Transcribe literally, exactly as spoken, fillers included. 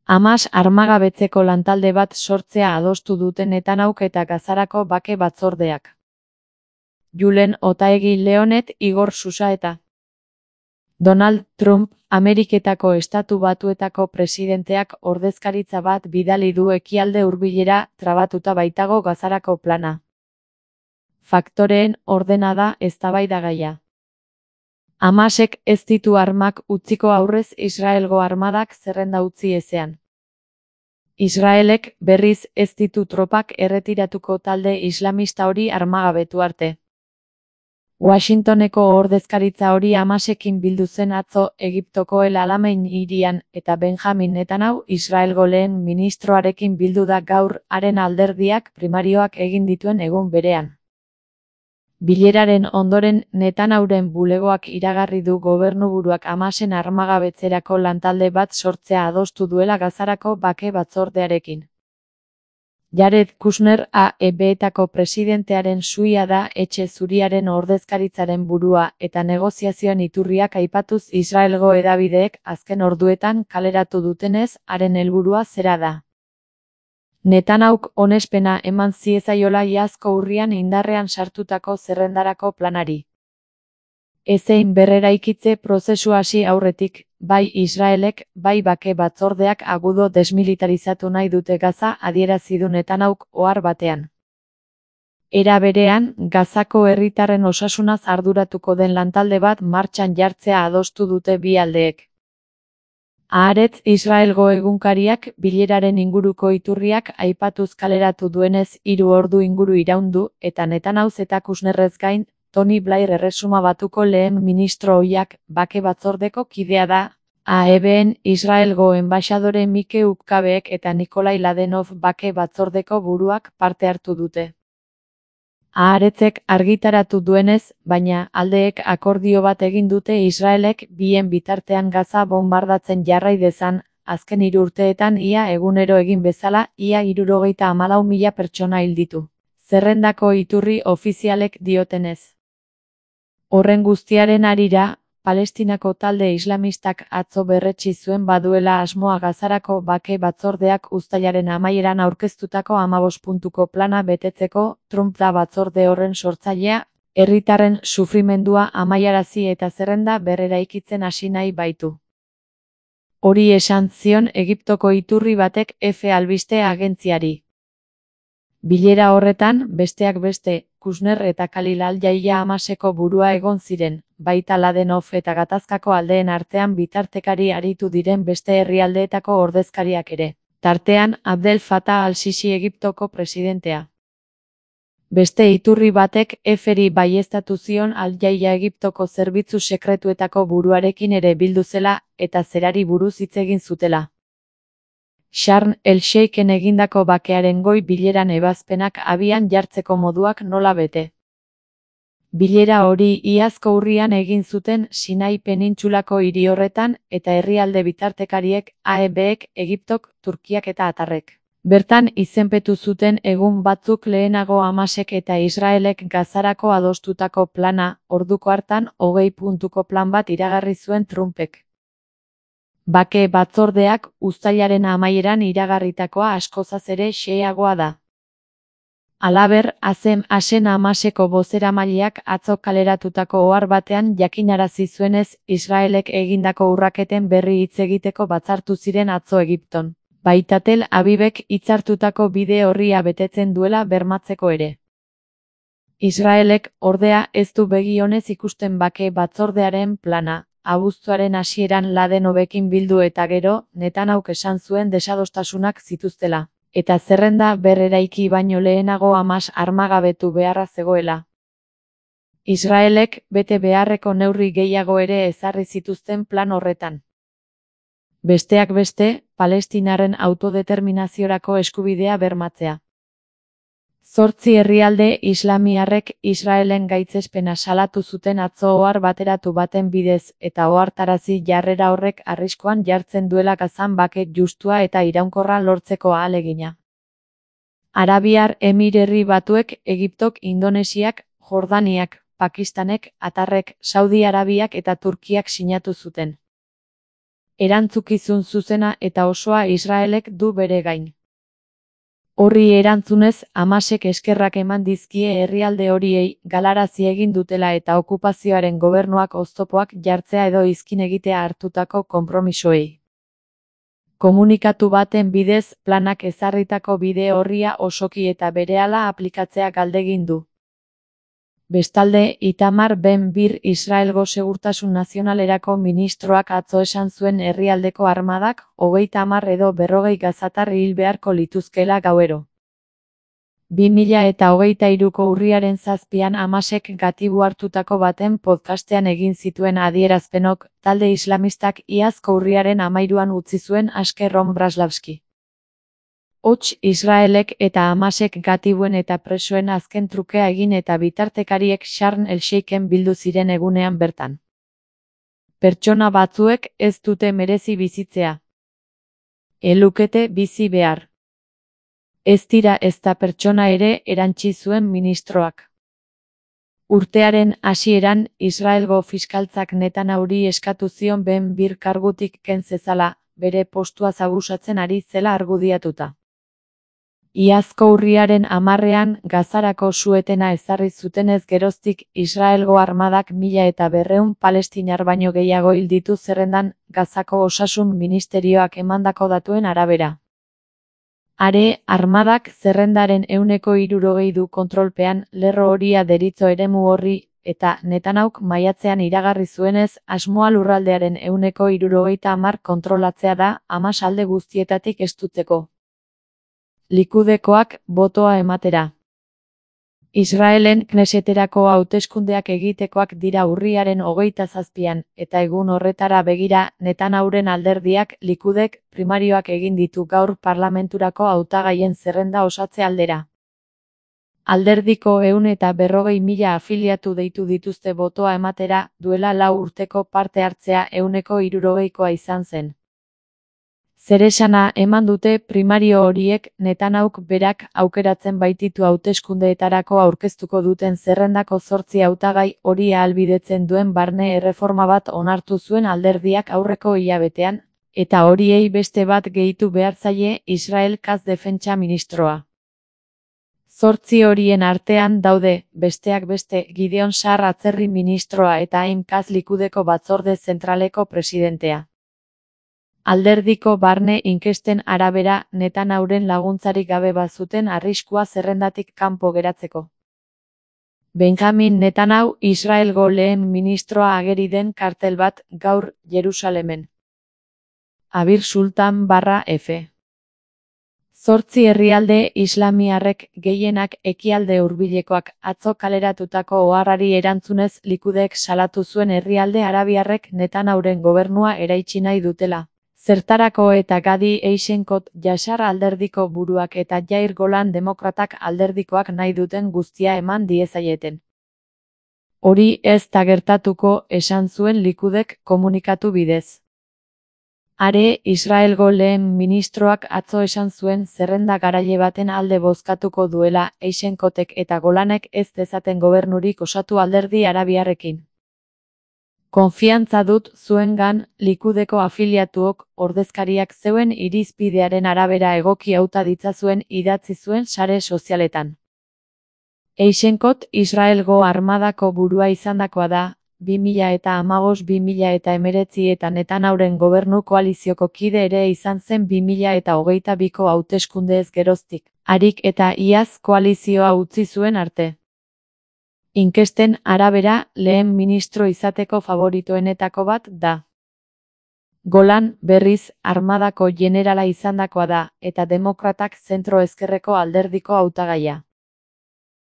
Hamas armagabetzeko lantalde bat sortzea adostu dute Netanyahuk eta Gazarako bake batzordeak. Julen Otaegi Leonet, Igor Susa eta Donald Trump, Ameriketako Estatu Batuetako presidenteak ordezkaritza bat bidali du ekialde hurbilera trabatuta baitago Gazarako plana. Faktoreen ordena da eztabaidagaia. Hamasek ez ditu armak utziko aurrez Israelgo armadak zerrenda utzi ezean. Israelek berriz ez ditu tropak erretiratuko talde islamista hori armagabetu arte. Washingtoneko ordezkaritza hori Hamasekin bildu zen atzo Egiptoko El Alamein hirian eta Benjamin Netanyahu Israelgo lehen ministroarekin bildu da gaur haren alderdiak primarioak egin dituen egun berean. Bileraren ondoren Netanyahuren bulegoak iragarri du gobernuburuak Hamasen armagabetzerako lantalde bat sortzea adostu duela Gazarako bake batzordearekin. Jared Kushner A E B-etako presidentearen suia da etxe zuriaren ordezkaritzaren burua eta negoziazioen iturriak aipatuz Israelgo hedabideek azken orduetan kaleratu dutenez haren helburua zera da. Netanyahuk onespena eman ziezaiola iazko urrian indarrean sartutako zerrendarako planari. Ezein berreraikitze prozesu hasi aurretik, bai Israelek, bai bake batzordeak agudo desmilitarizatu nahi dute Gaza adierazi du Netanyahuk ohar batean. Era berean, Gazako herritarren osasunaz arduratuko den lantalde bat martxan jartzea adostu dute bi aldeek. Haaretz Israelgo egunkariak bileraren inguruko iturriak aipatuz kaleratu duenez hiru ordu inguru iraun du eta Netanyahu eta Kushnerrez gain, Tony Blair Erresuma Batuko lehen ministro ohiak bake batzordeko kidea da, A E B-en Israelgo enbaxadore Mike Ukkabeek eta Nikolai Ladenov bake batzordeko buruak parte hartu dute. Haaretzek argitaratu duenez, baina aldeek akordio bat egin dute Israelek bien bitartean Gaza bonbardatzen jarrai dezan, azken hiru urteetan ia egunero egin bezala ia hirurogeita hamalau mila pertsona hil ditu. Zerrendako iturri ofizialek diotenez. Horren guztiaren harira, Palestinako talde islamistak atzo berretsi zuen baduela asmoa Gazarako bake batzordeak uztailaren amaieran aurkeztutako hamabost puntuko plana betetzeko. Trump da batzorde horren sortzailea, herritarren sufrimendua amaiarazi eta zerrenda berreraikitzen hasi nahi baitu. Hori esan zion Egiptoko iturri batek F albiste agentziari. Bilera horretan, besteak beste, Kushner eta Khalil al-Jaia Hamaseko burua egon ziren, baita Ladenov eta gatazkako aldeen artean bitartekari aritu diren beste herrialdeetako ordezkariak ere, tartean Abdel Fattah al-Sisi Egiptoko presidentea. Beste iturri batek F-ri baieztatu zion al-Jaia Egiptoko zerbitzu sekretuetako buruarekin ere bildu zela eta zerari buruz hitz egin zutela. Sharm el-Sheikhen egindako bakearen goi bileran ebazpenak abian jartzeko moduak nola bete. Bilera hori iazko urrian egin zuten Sinai penintsulako hiri horretan eta herrialde bitartekariek A E B-ek, Egiptok, Turkiak eta Atarrek. Bertan izenpetu zuten egun batzuk lehenago Hamasek eta Israelek Gazarako adostutako plana, orduko hartan hogei puntuko plan bat iragarri zuen Trumpek. Bake batzordeak uztailaren amaieran iragarritakoa askozaz ere xeheagoa da. Halaber, Azem Asen Hamaseko bozeramaileak atzo kaleratutako ohar batean jakinarazi zuenez Israelek egindako urraketen berri hitz egiteko batzartu ziren atzo Egipton. Baita Tel Avivek hitzartutako bide orria betetzen duela bermatzeko ere. Israelek, ordea, ez du begi onez ikusten bake batzordearen plana. Abuztuaren hasieran Ladenovekin bildu eta gero, Netanyahuk esan zuen desadostasunak zituztela, eta zerrenda berreraiki baino lehenago Hamas armagabetu beharra zegoela. Israelek bete beharreko neurri gehiago ere ezarri zituzten plan horretan. Besteak beste, Palestinarren autodeterminaziorako eskubidea bermatzea. Zortzi herrialde islamiarrek Israelen gaitzespena salatu zuten atzo ohar bateratu baten bidez eta ohartarazi jarrera horrek arriskuan jartzen duela Gazan bake justua eta iraunkorra lortzeko ahalegina. Arabiar Emirerri Batuek, Egiptok, Indonesiak, Jordaniak, Pakistanek, Atarrek, Saudi Arabiak eta Turkiak sinatu zuten. Erantzukizun zuzena eta osoa Israelek du bere gain. Horri erantzunez, Hamasek eskerrak eman dizkie herrialde horiei galarazi egin dutela eta okupazioaren gobernuak oztopoak jartzea edo izkin egitea hartutako konpromisoei. Komunikatu baten bidez, planak ezarritako bide orria osoki eta berehala aplikatzea galdegin du. Bestalde, Itamar Ben-Bir Israelgo Segurtasun Nazionalerako ministroak atzo esan zuen herrialdeko armadak hogeita hamar edo berrogei gazatar hil beharko lituzkela gauero. bi mila eta hogeita hiruko urriaren zazpian Hamasek gatibu hartutako baten podcastean egin zituen adierazpenok, talde islamistak iazko urriaren hamairuan utzi zuen aske Ron Braslavski. Hots, Israelek eta Hamasek gatibuen eta presoen azken trukea egin eta bitartekariek Sharm el-Sheikhen bildu ziren egunean bertan. Pertsona batzuek ez dute merezi bizitzea. Elukete bizi behar. Ez dira ezta pertsona ere, erantsi zuen ministroak. Urtearen hasieran, Israelgo fiskaltzak Netanyahu-ri eskatu zion Ben-Bir kargutik ken zezala, bere postuaz abusatzen ari zela argudiatuta. Iazko urriaren hamarrean Gazarako su-etena ezarri zutenez geroztik Israelgo armadak mila eta berrehun palestinar baino gehiago hil ditu zerrendan Gazako osasun ministerioak emandako datuen arabera. Are, armadak zerrendaren ehuneko hirurogei du kontrolpean lerro horia deritzo eremu horri, eta Netanyahuk maiatzean iragarri zuenez, asmoa lurraldearen ehuneko hirurogeita hamar kontrolatzea da Hamas alde guztietatik estutzeko. Likudekoak botoa ematera. Israelen Kneseterako hauteskundeak egitekoak dira urriaren hogeita zazpian, eta egun horretara begira, Netanyahuren alderdiak Likudek primarioak egin ditu gaur parlamenturako hautagaien zerrenda osatze aldera. Alderdiko ehun eta berrogei mila afiliatu deitu dituzte botoa ematera, duela lau urteko parte hartzea ehuneko hirurogeikoa izan zen. Zeresana eman dute primario horiek Netanyahuk berak aukeratzen baititu hauteskundeetarako aurkeztuko duten zerrendako zortzi hautagai hori ahalbidetzen duen barne erreforma bat onartu zuen alderdiak aurreko hilabetean, eta horiei beste bat gehitu behar zaie Israel Katz defentsa ministroa. Zortzi horien artean daude, besteak beste, Gideon Sa'ar atzerri ministroa eta Haim Katz Likudeko batzorde zentraleko presidentea. Alderdiko barne inkesten arabera, Netanyahuren laguntzarik gabe bazuten arriskua zerrendatik kanpo geratzeko. Benjamin Netanyahu Israelgo lehen ministroa ageri den kartel bat gaur Jerusalemen. Abir Sultan barra F. Zortzi herrialde islamiarrek gehienak ekialde hurbilekoak atzo kaleratutako oharrari erantzunez Likudek salatu zuen herrialde arabiarrek Netanyahuren gobernua eraitsi nahi dutela. Zertarako eta Gadi Eisenkot Yashar alderdiko buruak eta Yair Golan demokratak alderdikoak nahi duten guztia eman diezaieten. Hori ez da gertatuko, esan zuen Likudek komunikatu bidez. Are, Israelgo lehen ministroak atzo esan zuen zerrenda garaile baten alde bozkatuko duela Eisenkotek eta Golanek ez dezaten gobernurik osatu alderdi arabiarrekin. Konfiantza dut zuengan, Likudeko afiliatuok, ordezkariak zeuen irizpidearen arabera egoki hauta ditzazuen idatzi zuen sare sozialetan. Eisenkot Israelgo armadako burua izandakoa da, bi mila eta hamabost bi mila eta hemeretzi eta Netanyahuren gobernu koalizioko kide ere izan zen bi mila eta hogeita biko hauteskundeez geroztik, harik eta iaz koalizioa utzi zuen arte. Inkesten arabera, lehen ministro izateko favoritoenetako bat da. Golan, berriz, armadako jenerala izandakoa da, eta demokratak zentro ezkerreko alderdiko hautagaia.